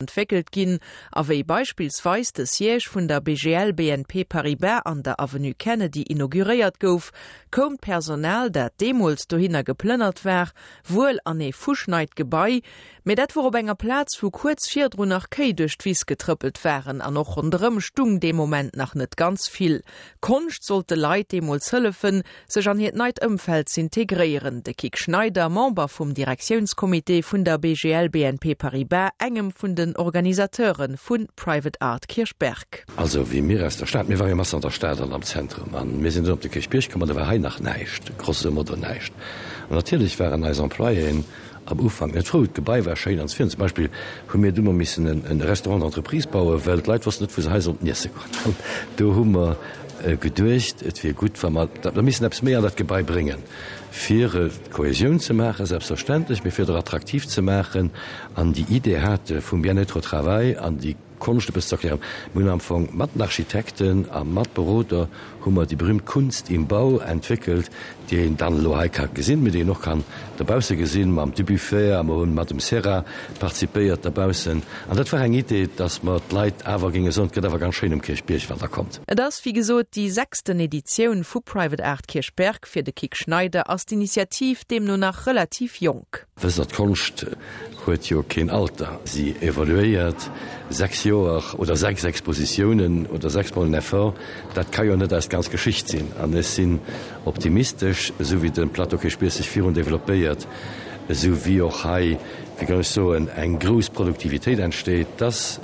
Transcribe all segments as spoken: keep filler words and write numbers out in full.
Entwéckelt ginn a wéi beispillsweis de Siège vun der B G L B N P Paribas an der Avenue Kennedy inauguréiert gouf, koum d'Personal, dat deemools dohinner geplënnert war, wuel an ee fuschneit Gebai, mee dat wor op enger Plaz, wou kuerz virdrun nach Kéi duerch d'Wiss getrëppelt waren an och ronderëm stung dee Moment nach net ganz vill. Konscht sollt de Leit deemools hëllefen, sech an hiert neit Ëmfeld z'integréieren. De Kik Schneider, Member vum Direktiounscomité vun der B G L B N P Paribas, engem vun den Organisateure vu Private Art Kirchberg. Also wéi mir aus der Stad, mir ware jo matzen an der Stad an am Zentrum an mir sinn dunn op de Kierchbierg komm an do war hei nach näischt, grosso modo näischt. An natierlech waren eis Employéen am Ufank net frou, d'Gebai war schéin an zum Beispill hu mir du mol missen en Restaurant d'entreprise bauen, well d'Leit wossten net wou se hei sollten iesse goen. Do hu mer geduecht, et wier gutt wa mer da missen eppes méi an dat Gebai bréngen, fir d'Kohesioun ze maachen, selbstverständlech, mee fir et och attraktiv ze maachen an déi Idee hate vum Bien-être au travail an déi Konscht e bëssen ze erklären. Mir hunn am Fong mat den Architekten a mat Beroder hu mer déi berühmt Kunst im Bau entwéckelt, déi een dann elo hei ka gesinn, mee déi een och kann dobausse gesinn mam Dubuffet a mer hunn mat dem Serra participéiert dobaussen. An dat war eng Idee, dass mer d'Leit awer géinge soen, et gëtt awer ganz schéin um Kierchbierg, wann Der kommt. Et ass wéi gesot déi sechsten Editioun vu Private Art Kirchberg. Fir de Kik Schneider ass d'Initiativ deemno nach relativ jonk. Wësst Der, d'Konscht huet jo keen Alter, si evoluéiert. Sechs Joer oder sechs Expositiounen oder sechs Mol en Effort, dat ka jo net eis ganz Geschicht sinn. An ech sinn optimistesch, esou wéi de Plateau Kierchbierg sech virun developpéiert, esou wéi och hei, wéi kann ech soen, eng grouss Produktivitéit entsteet, dass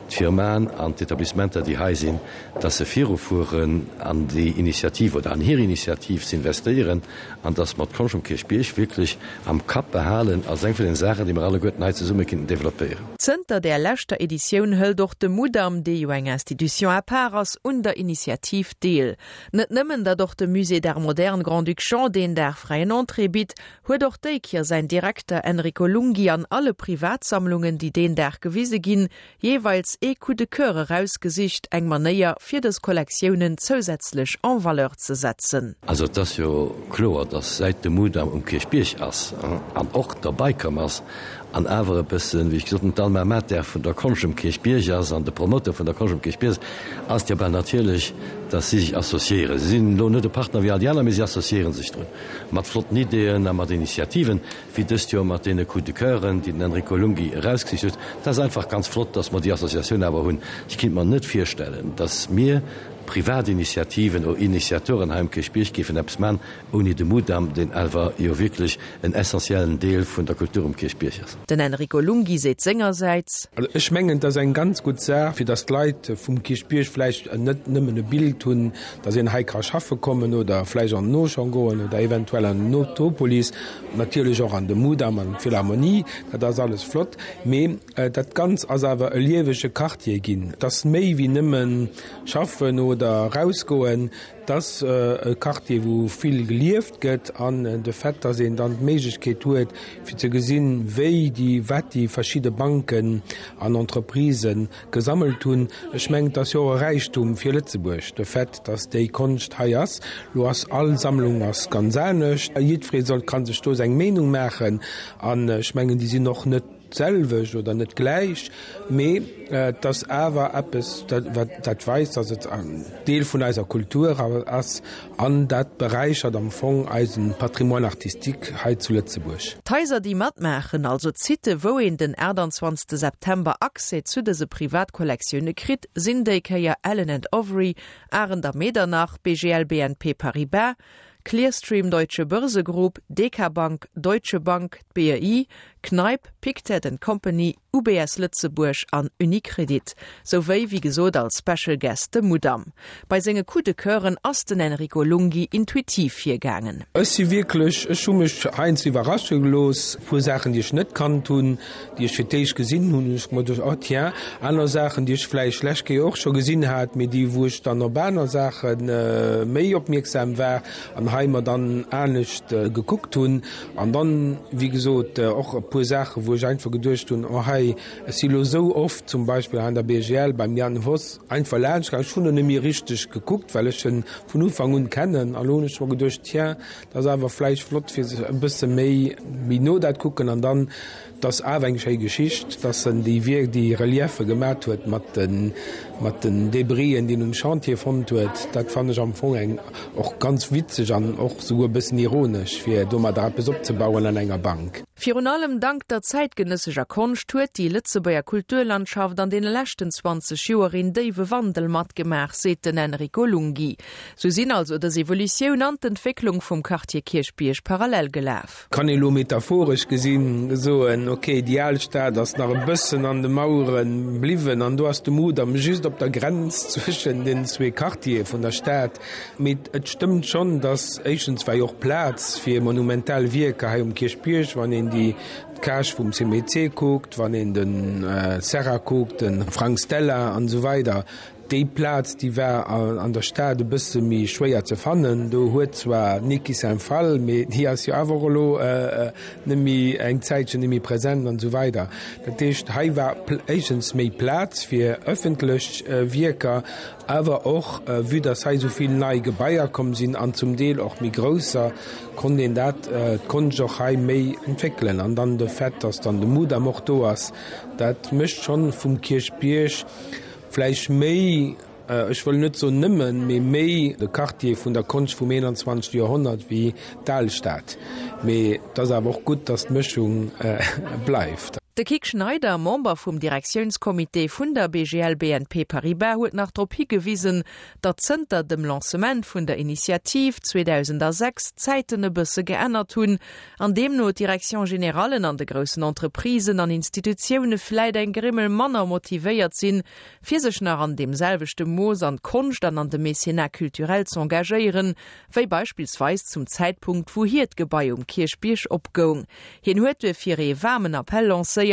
d'Firmaen an d'Etablissementer, déi hei sinn, dass se virufueren an déi Initiativ oder an hir Initiativ ze investéieren an dass mer d'Konscht um Kierchbierg wierklech am Kapp behalen als eng vun den Saachen, déi mer alleguerten hei zesumme kinnten developpéieren. Zënter der leschter Editioun hëlt och de Mudam, dee jo eng Institution à part ass, un der Initiativ deel. Net nëmmen, datt och de Musée d'Art moderne Grand-Duc Jean deen Dag fräien Entrée bitt, huet och déi Kéier säin Direkter Enrico Lunghi an alle Privatsammlungen, déi deen Dag gewise ginn, jeeweils ee Coup de cœur erausgesicht, eng Manéier fir dës Kollektiounen zousätzlech en valeur ze setzen. Also et ass jo kloer, dass säit de Mudam um Kierchbierg ass an och derbäi komm ass an awer e bëssen, wéi ech gesot hunn, d'Alma mater vun der Konscht um Kierchbierg ass an de Promoteur vun der Konscht um Kierchbierg ass, ass et jo bal natierlech, dass si sech associéieren. Si sinn elo net e Partner wéi all déi aner, mee si associéiere sech drun mat flotten Ideeën a mat Initiativen, wéi dëst Joer mat deene Coup de cœuren, déi den Enrico Lunghi erausgesicht huet. Dat ass einfach ganz flott, dass mer déi Associatioun awer hunn. Ech kinnt mer net virstellen, dass mir Privatinitiativen oder Initiateuren hei um Kierchbierg géifen eppes man, ouni de Mudam, deen awer jo wierklech en essentiellen Deel vun der Kultur um Kierchbierg ass. Den Enrico Lunghi seet sengersäits. Also ech mengen, et ass eng ganz gutt Saach, fir dass d'Leit vum Kierchbierg vläicht net nëmmen e Bild hunn, dass een hei ka schaffe kommen oder vläicht an den Auchan goen oder eventuell an den Utopolis, natierlech och an de Mudam an d'Philharmonie, dat ass alles flott, mee dat Ganz ass awer e liewege Quartier ginn. Et ass méi wéi nëmmen schaffen oder erausgoen, et ass e Quartier, wou vill gelieft gëtt an de Fait, dass een dann d'Méiglechkeet huet, fir ze gesinn, wéi déi, wat déi verschidde Banken an Entreprisë gesammelt hunn, ech mengen, et ass jo och e Räichtum fir Lëtzebuerg, de Fait, dass déi Konscht hei ass. Lo ass all Sammlung ass ganz anescht, jiddweree soll, ka sech do seng Meenung maachen an ech mengen, déi sinn och net d'selwecht oder net gläich, mee et ass awer eppes, dat weist, datt et en Deel vun eiser Kultur ass an dat beräichert am Fong eise Patrimoine artistique hei zu Lëtzebuerg. D'Haiser, déi matmaachen, also d'Sitten, wou een den achttanzwanzegste September Accès zu dëse Privatkollektioune kritt, sinn déi Kéier Allen and Overy, Arendt a Medernach, B G L B N P Paribas, Clearstream Deutsche Börse Group, D K Bank, Deutsche Bank, d'B E I, Kneip, Pictet and Company, U B S Lëtzebuerg an UniCredit, souwéi wéi gesot als Special Guest de Mudam. Bei senge Coup de Coeuren ass den Enrico Lunghi intuitiv virgaangen. Ech si wierklech, ech hu mech heiansdo iwwerrasche gelooss, e puer Saachen, déi ech net kannt hunn, déi ech fir d'éischt gesinn hunn, hunn ech mer geduecht, oh tiens, aner Saachen, déi ech vläicht d'lescht Kéier och scho gesinn hat, mee déi wou ech dann op aner Saache méi opmierksam war an hei mer dann anescht gekuckt hunn. An dann, wéi gesot, och e puer puer Saachen, wou ech einfach geduecht hunn, oh hei, ech si lo sou oft zum Beispill an der B G L beim Jan Voss einfach laanscht gaangen, ech hunn och net méi richteg gekuckt, well ech en vun Ufank un kennen, an elo hunn ech mer geduecht, tiens, dat ass awer vläicht flott fir sech e bësse méi méi no dat kucken an dann 't ass awer eng schéi Geschicht, dass en déi Wierk, déi Reliefe gemat huet mat de mat den Débris'en, déi en um Chantier fonnt huet. Dat fannen ech am Fong eng och ganz witzeg an och souguer e bëssen ironesch, fir domadder eppes opzebauen an enger Bank. Virun allem dank der zäitgenëssescher Konscht huet déi Lëtzebuerger Kulturlandschaft an deene leschten zwanzeg Joer een déiwe Wandel matgemaach, seet den Enrico Lunghi. Sou sinn also dës Evolutioun an d'Entwécklung vum Quartier Kierchbierg parallel gelaf. Kann ee lo metaphoresch gesinn soen, ok, déi al Stad ass nach e bëssen an de Mauere bliwwen an do ass de Mudam just op der Grenz zwëschen den zwee Quartiere vun der Stad. Mee et stëmmt schonn, dass éischtens war jo och Plaz fir monumental Wierker hei um Kierchbierg, wann een déi d'Cage vum C M E C kuckt, wann een de Serra kuckt, de Frank Stella an esou weider. Déi Plaz, déi war an der Stad e bësse méi schwéier ze fannen. Do huet zwar d'Niki Saint Phalle, mee déi ass jo awer och elo net méi, eng Zäitchen net méi present an esou weider. Dat heescht, hei war éischtens méi Plaz fir ëffentlech Wierker, awer och, vue dass hei esou vill nei Gebaier komm sinn an zum Deel och méi grousser, konnt een dat, d'Konscht och hei méi entwéckelen. An dann de Fait, dass dann de Mudam och do ass, dat mécht schonn vum Kierchbierg vläicht méi, ech wëll net soen nëmmen, mee méi de Quartier vun der Konscht vum einundzwanzegste Joerhonnert wéi d'Alstad. Mee et ass awer och gutt, dass d'Mëschung bleift. De Kik Schneider, Member vum Direktiounscomité vun der B G L B N P Paribas, huet nach drop higewisen, datt zënter dem Lancement vun der Initiativ zweedausendsechs d'Zäiten e bësse geännert hunn, an deemno d'Direction-générallen an de groussen Entreprisen an Institutioune vläit eng Grimmel manner motivéiert sinn, fir sech nach an deem selwechte Mooss an d'Konscht an an de Mécénat culturel z'engagéieren, wéi beispillsweis zum Zäitpunkt, wou hiert Gebai um Kierchbierg opgoung. Hien huet duerfir ee waarmen Appell lancéiert,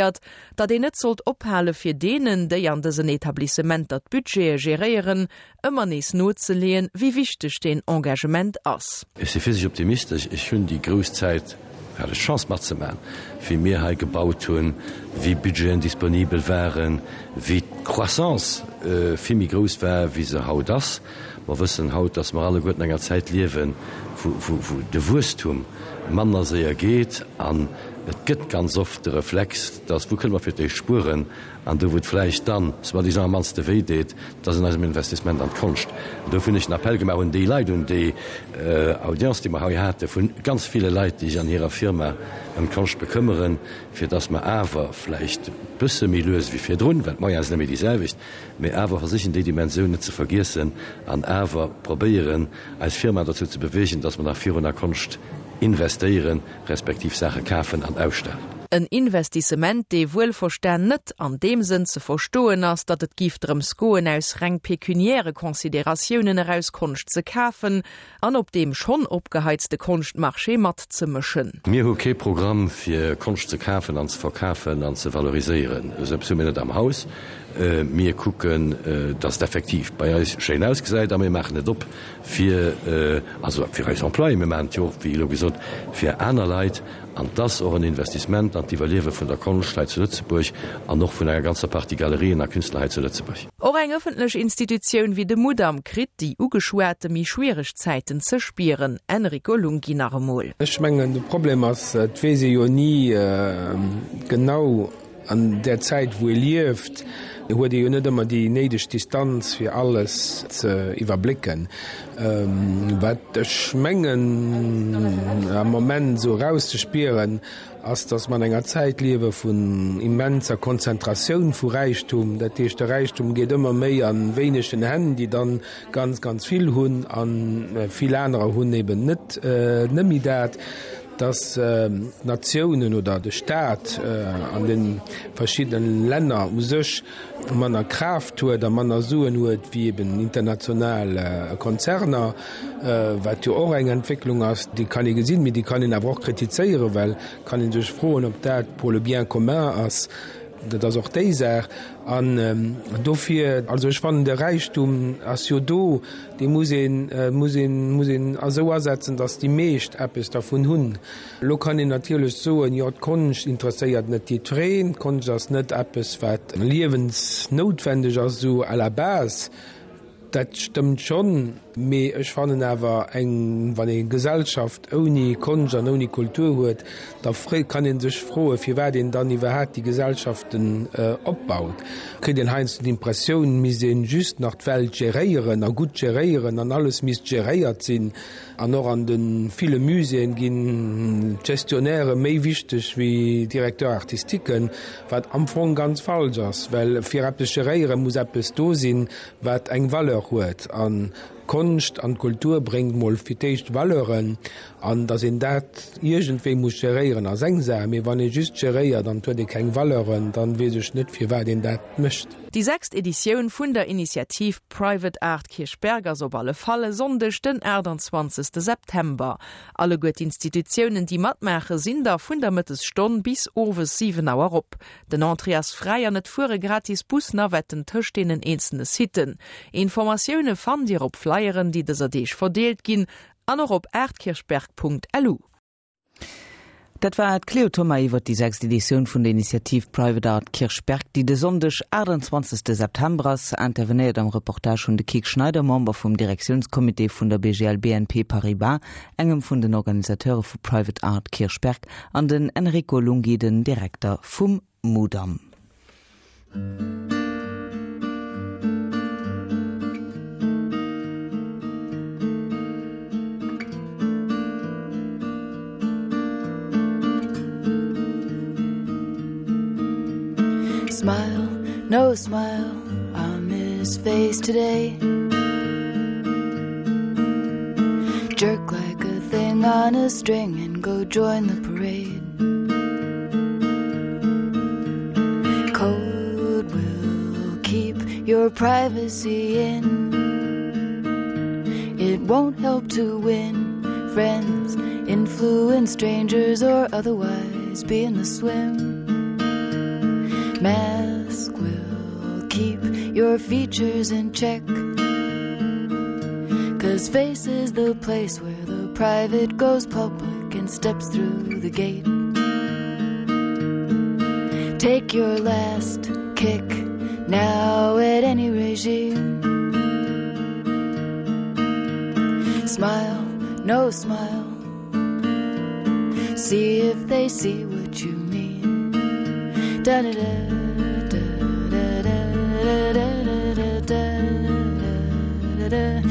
datt een net sollt ophale fir deenen, déi an dësen Etablissementer d'Budgete geréieren, ëmmer nees nozeleeën, wéi wichteg deen Engagement ass. Ech si fir sech optimistesch. Ech hunn déi grouss Zäit, hat ech d'Chance matzemaachen, wéi mir hei gebaut hunn, wéi Budgeten disponibel waren, wéi d'Croissance vill méi grouss war, wéi se haut ass. Mer wëssen haut, dass mer alleguerten an enger Zäit liewen, wou, wou, wou de Wuesstum manner séier geet an et gëtt ganz oft de Reflex, dass wou kënne mer fir d'éischt spueren an do wou et vläicht dann soi-disant am mannste wéi deet, dat ass an eisem Investissement an d'Konscht. An dofir hunn ech en Appell gemaach un déi Leit, un déi Audience, déi mer hei hate vu ganz ville Leit, déi sech an hirer Firma ëm d'Konscht bekëmmeren, fir dass mer awer vläicht e bësse méi lues wéi virdrun, well d'Moyene sinn net méi déi selwecht, mee awer versichen déi Dimensioun net ze vergiessen an awer probéieren eis Firmaen dozou ze beweegen, dass mer nach virun a Konscht investéieren, respektiv Saache kafen an ausstellen. En Investissement, dee wuelverstan net an deem Sënn ze verstoen ass, datt et giff drëms goen, aus reng pekuniäre Consideratiounen eraus Konscht ze kafen an op deem schonn opgeheizte Konschtmarché matzemëschen. Mir hu kee Programm fir Konscht ze kafen an ze verkafen an ze valoriséieren. Esou eppes hu mir net am Haus. Mir kucken, datt et effektiv bei eis schéin ausgesäit a mir maachen et op fir, also fir eis Employéen, mir maachen et jo och, wéi elo gesot, fir aner Leit. An et ass och en Investissement an d'Iwwerliewe vun der Konscht hei zu Lëtzebuerg an och vun enger ganzer Partie Galerien a Künstler hei zu Lëtzebuerg. Och eng ëffentlech Institutioun wéi de Mudam kritt déi ugeschwate méi schwiereg Zäiten ze spieren. Enrico Lunghi nach emol. Ech mengen, de Problem ass, et weess ee jo ni genau an där Zäit wou ee lieft, huet ee jo net ëmmer déi néideg Distanz fir alles ze iwwerblécken. Wat ech mengen am Moment esou erauszespieren, ass, datt mer an enger Zäit liewe vun immenser Konzentratioun vu Räichtum. Dat heescht, de Räichtum geet ëmmer méi a wéinegen Hänn, déi dann ganz, ganz vill hunn, a vill anerer hunn eben net net méi dat. Dass d'Natiounen oder de Staat an de verschiddene Länner u sech manner Kraaft huet a manner Suen huet wéi eben international Konzerner, wat jo och eng Entwécklung ass, déi kann ee gesinn, mee déi kann een awer och kritizéieren, well kann ee sech froen, ob dat pour le bien commun ass. Dat ass och déi Saach. An ähm, dofir, also ech fannen de Räichtum ass jo do, dee muss een, äh, muss een, muss een esou asetzen, datt déi meescht eppes dervun hunn. Lo kann een natierlech soen, jo d'Konscht interesséiert net jiddwereen, d'Konscht ass net eppes wat liewensnoutwendeg ass sou à la base. Dat stëmmt schonn, mee ech fannen awer eng, wann ee Gesellschaft ouni Konscht an ouni Kultur huet, da kann ee sech froen, firwat een dann iwwerhaapt déi Gesellschaften opbaut. Kritt een heiansdo d'Impressioun, misst een just nach d'Welt geréieren a gutt geréieren an alles misst geréiert sinn. An och an de ville Muséeën ginn d'Gestionnairë méi wichteg wéi Directeurs artistiquen, wat am Fong ganz falsch ass, well fir eppes geréieren muss eppes do sinn, wat eng Valeur huet. An d'Konscht an d'Kultur bréngt mol fir d'éischt Valeuren, an datt een dat iergendwéi muss geréieren ass eng Saach, mee wann ee just geréiert an et huet ee keng Valeuren, dann weess ech net firwat een dat mécht. Déi sechst Editioun vun der Initiativ Private Art Kirchberg ass op alle Fall e Sonndeg den aachtanzwanzegste September. Alleguer d'Institutiounen, déi matmaachen, sinn da vun der Mëttesstonn bis owes siwen Auer op. Den Entrée ass fräi an et fuere gratis Busnavetten tëscht deenen eenzelne Siten. Informatioune fannt Dir op Flyeren, déi dëser Deeg verdeelt ginn an och op artkirchberg.lu. Dat war d'Cléo Thoma iwwer déi sechst Editioun vun der Initiativ Private Art Kirchberg, déi de Sonndeg achtundzwanzegste September ass. Intervenéiert am Reportage hunn de Kik Schneider, Member vum Direktiounscomité vun der B G L B N P Paribas, engem vun den Organisateure vu Private Art Kirchberg, an den Enrico Lunghi, den Direkter vum Mudam. Smile, no smile on his face today. Jerk like a thing on a string and go join the parade. Code will keep your privacy in. It won't help to win friends, influence strangers, or otherwise be in the swim. Mask will keep your features in check, 'cause face is the place where the private goes public and steps through the gate. Take your last kick now at any regime. Smile, no smile, see if they see what you mean. Da da da da da da da da da da da da da.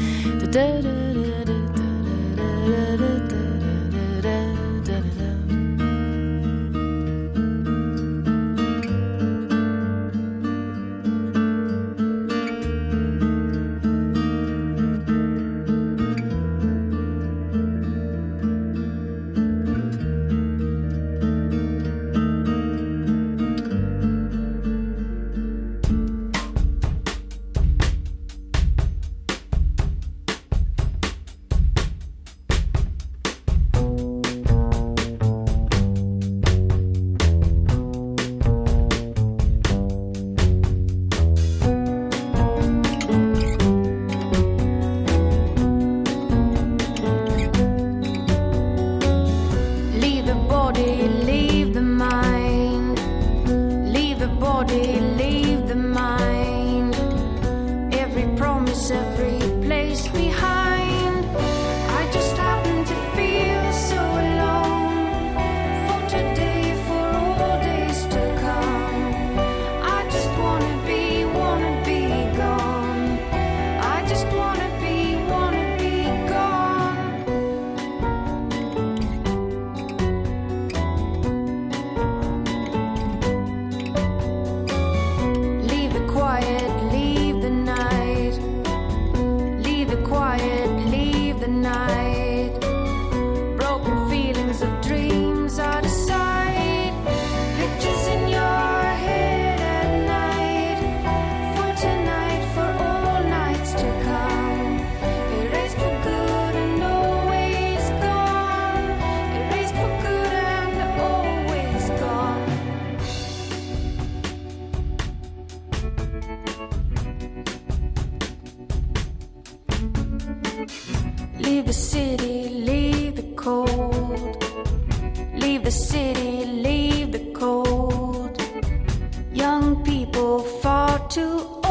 Leave the city, leave the cold. Leave the city, leave the cold. Young people far too